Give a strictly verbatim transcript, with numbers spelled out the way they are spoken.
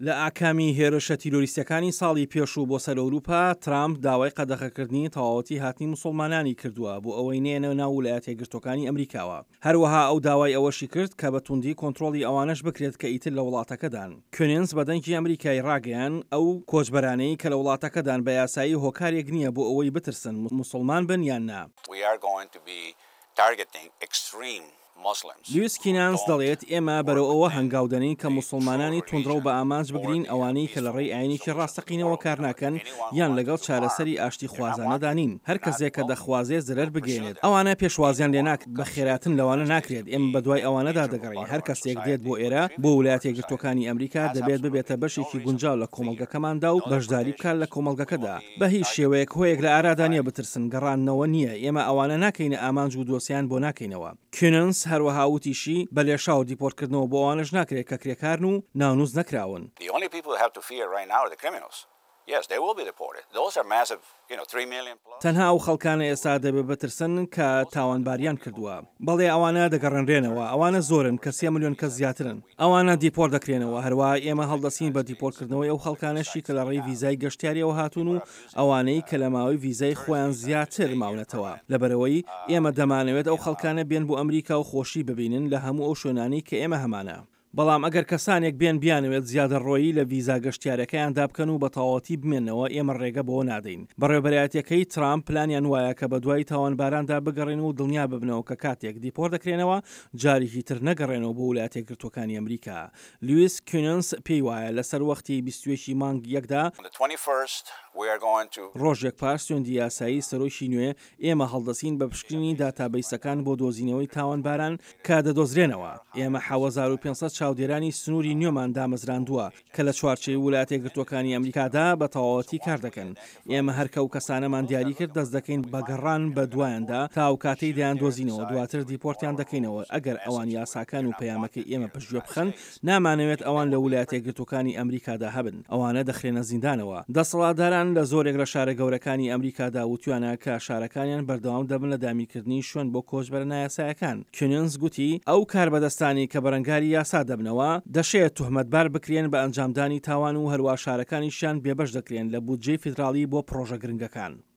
لە ئاکامی هێرشە تیرۆریستیەکانی ساڵی پێشوو بۆ سەر ئەوروپا، ترامپ داوای قەدەغەکردنی تەواوەتی هاتنی موسڵمانانی کردووە بۆ ئەوەی نەیەنە ناو ولایەتە یەکگرتووەکانی ئەمریکاوە. هەروەها ئەو داوای ئەوەشی کرد کە بە توندی کۆنترۆڵی ئەوانەش بکرێت کە ئیتر لە وڵاتەکەدان. کۆنینس بە دەنگی ئەمریکای ڕاگەیان، ئەو کۆچبەرانەی کە لە وڵاتەکەدان بە یاسایی هۆکارێک نییە بۆ ئەوەی بترسن موسڵمان بن یان نا. We are going to be targeting extreme Muslims. لویس کینانس دەڵێت، ئێمە بەرەو ئەوە هەنگاو دەنێین کە موسڵمانانی توندڕەو بە ئامانج بگرین، ئەوانەی کە لە ڕێی ئاینێکی ڕاستەقینەوە کار ناکەن یان لەگەڵ چارەسەری ئاشتیخوازانەدا نین. هەر کەسێک کە دەخوازێت زەرەر بگەیەنێت، ئەوانە پێشوازیان لێ ناکرێت، بەخێرهاتن لەوانە ناکرێت. ئێمە بەدوای ئەوانەدا دەگەڕێین. هەر کەسێک دێت بۆ ئێرە، بۆ ولایەتە یەکگرتووەکانی ئەمریکا، دەبێت ببێتە بەشێکی گونجاو لە کۆمەڵگەکەماندا و بەشداری بکات لە کۆمەڵگەکەدا. بە هیچ شێوەیەک هۆیەک لە ئارادا نییە بترسن، گەڕاندنەوە نییە. ئێمە ئەوانە ناکەینە ئامانج و دۆسیان بۆ ناکەینەوە. کیننس هەروەها وتیشی، بە لێشاو دیپۆرتکردنەوە بۆ ئەوانەش ناکرێت کە کرێکارن و ناونووس نەکراون. The only people who have to fear right now are the criminals. Yes, they will be deported. Those are massive, you know, three million plus. تەنها ئەو خەڵکانە ئێستا دەبێت بترسن کە تاوانباریان کردووە. بەڵێ ئەوانە دەگەڕێنرێنەوە. ئەوانە زۆرن کە سێ ملیۆن کەس زیاترن. ئەوانە دیپۆرت دەکرێنەوە. هەروەها ئێمە هەڵدەستین بە دیپۆرتکردنەوەی ئەو خەڵکانەشی کە لە ڕێی ڤیزای گەشتیاریەوە هاتوون و ئەوانەی کە لە ماوەی ڤیزای خۆیان زیاتر ماونەتەوە. لەبەرئەوەی ئێمە دەمانەوێت ئەو خەڵکانە بێن بۆ ئەمریکا و خۆشی ببینن لە هەموو ئەو شوێنانەی کە ئێمە هەمانە. بەڵام ئەگەر کەسانێک بێن بیانەوێت زیادەڕۆیی لە ڤیزا گەشتیارەکەیاندا بکەن و بە تەواوەتی بمێنەوە، ئێمە ڕێگە بەوە نادەین. بەڕێوەبەرایەتیەکەی ترامپ پلانیان وایە کە بەدوای تاوانباراندا بگەڕێن و دڵنیا ببنەوە کە کاتێک دیپۆرت دەکرێنەوە جارێکی تر نەگەڕێنەوە بۆ ولایەتە یەکگرتووەکانی ئەمریکا. لویس کیننس پێی وایە لەسەر وەختی بیست و یەک ی مانگ یەکدا، On the twenty-first, we are going to ڕۆژێک پاش سوێندی یاسایی سەرۆکی نوێ، ئێمە هەڵدەستین بە پشکنینی داتابەیسەکان بۆ دۆزینەوەی تاوانباران کە دەدۆزرێنەوە. ئێمە حەوت هەزار و پێنج سەد چاودێرانی سنووری نوێمان دامەزراندووە کە لە چوارچێوەی ولایەتە یەکگرتووەکانی ئەمریکادا بە تەواوەتی کار دەکەن. ئێمە هەر کە ئەو کەسانەمان دیاری کرد دەست دەکەین بە گەڕان بە دوایاندا تا ئەو کاتەی دەیان دۆزینەوە، دواتر دیپۆرتیان دەکەینەوە. ئەگەر ئەوان یاساکان و پەیامەکەی ئێمە پشتگوێ بخەن، نامانەوێت ئەوان لە ولایەتە یەکگرتووەکانی ئەمریکادا هەبن. ئەوانە دەخرێنە زیندانەوە. دەسەڵاتداران لە زۆرێک لە شارە گەورەکانی ئەمریکادا وتویانە کە شارەکانیان بەردەوام دەبن لە دابینکردنی شوێن بۆ کۆچبەرە نایاسایەکان. کیننس گوتی ئەو کاربەدەستانی کە بەرەنگاری یاسا دەبنەوە دەشێت تهمەتبار بکرێن بە ئەنجامدانی تاوان و هەروە شارەکانیشیان بێبەش دەکرێن لە بودجەی فیدراڵی بۆ پرۆژە گرنگەکان.